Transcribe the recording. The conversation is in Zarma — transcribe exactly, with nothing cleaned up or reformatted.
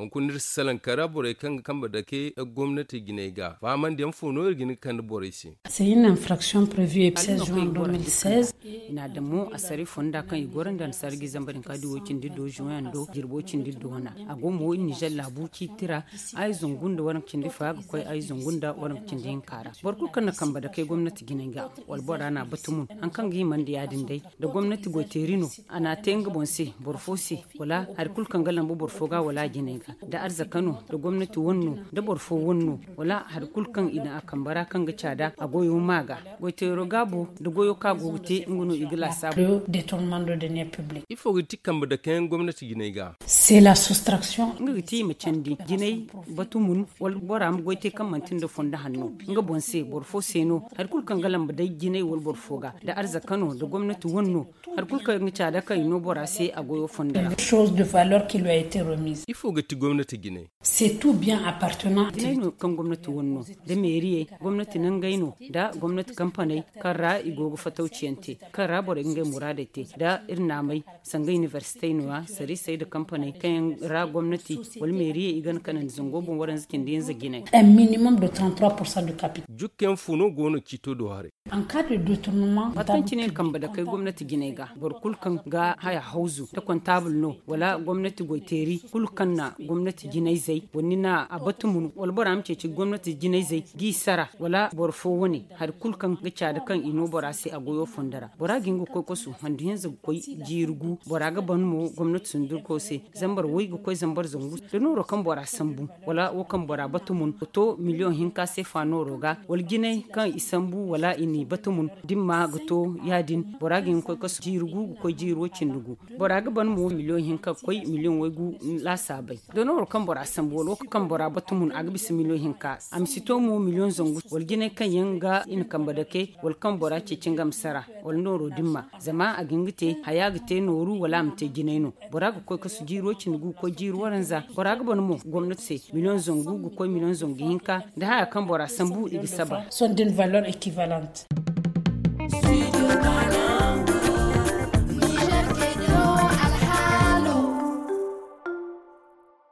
Hunkuna iri si salaŋ kara borey kaŋ ga kambe dake gomnati jinay ga fahamandiyaŋ fo no iri ga hin ga kande borey se. C'est une infraction prévue epse juin deux mille seize. I n'a daŋ mo asari fonda kaŋ i goro nda anasara ga i zamba din ka di wo cindi do juin do jirbo cindi do wana. A go mo nizer laabu ciiti ra. Ay zangu nda waranka cindi fa ga koy ay zangu nda waranka cindi hinka ra. Boro kulu kaŋ na kambe dake gomnati jinay ga wala bora n'a batumun haŋ kaŋ ga himandi ya- din day, da gomnati goyteeri no a n'a te nga boŋ se, boro fo se, wala hari kulu kaŋ ga lambu boro fo ga wala a jinay ga, da arzaka no, da gomnati wane no, da boro fo wane no, wala hari kulu kaŋ i na a kambe ra kaŋ ga caada a goyo ma ga. Goyteero gaabo da goyo kaŋ a go ga te nga no i ga laasaabu. Ifo ga ti kambe dake yaŋ gomnati jinay ga? C'est la soustraction. Nga ga ti i ma candi jinay batumun wala bora ma goy te kaŋ manti nda fondo hanno. Nga boŋ se boro fo se no, hari kulu kaŋ ga lambe day jinay wala boro fo ga, da arzaka no, da gomnati wane no, hari kulu kaŋ ga caada kaŋ i no bora se a goyo fondo ra. Chose de valeur qui lui a été remise. Ifo ga ti gomnati jinay? C'est tout bien appartenant. Jinay no kaŋ gomnati wane no, da meeriyey, gomnati nangey no, da gomnati kampaney kaŋ ra i go ga fatawciyaŋ te, kaŋ ra borey ga ngey muraadey te, da iri naamey, sanga iniversitey no- ya, sarisey nda kampaney kaŋ yaŋ ra gomnati wala meeriyey i gana kanandi zango boŋ waranza cindi hinza jinay. Un minimum de trente-trois pour cent du capital. Jukkayaŋ fo no go no ciito do haray? Waati kaŋ cine iri kambe dakey gomnati jinay ga, boro kulu kaŋ ga haya hawzu da kontaabul no, wala gomnati goyteeri kulu kaŋ na gomnati jinayzey wala ni na a batumun wala bora ma ceeci gomnati jinayzey g'i sara, wala boro fo wane, hari kulu kaŋ ga caada kaŋ i no bora se a goyo fondo ra, bora ga hin ga koy kasu handu hinza ga koy jiiri gu. Bora ga ban mo gomnati sundurko se, zambar way ga koy zambar zangu. Da nooro kaŋ bora sambu, wala wo kaŋ bora batumun ga to miliyoŋ hinka seefa nooro ga, wala jinay kaŋ i sambu wala i n'i batumun, da ni ma ga to ya- din, bora ga hin ga koy kasu jiiri gu ga koy jiiri way cindi gu. Bora ga ban mo miliyoŋ hinka ga koy miliyoŋ way gu laasaabey. Da nooro kaŋ bora sambu wala wo kaŋ bora batumun a ga bisa miliyoŋ hinka, a ma si to mo miliyoŋ zangu wala jinay kaŋ yaŋ ga i na kambe dake, wala kaŋ bora ceeci nga ma sara, wala nooro dimma. Zama a ga hin ga te haya ga te nooru wala a ma te jinay no. Bora ga koy kasu jiiro cindi gu ga koy jiiri waranza. Bora ga ban mo gomnati se miliyoŋ zangu ga koy miliyoŋ zangu hinka. Da haya kaŋ bora sambu i ga saba. Sont d'une valeur équivalente.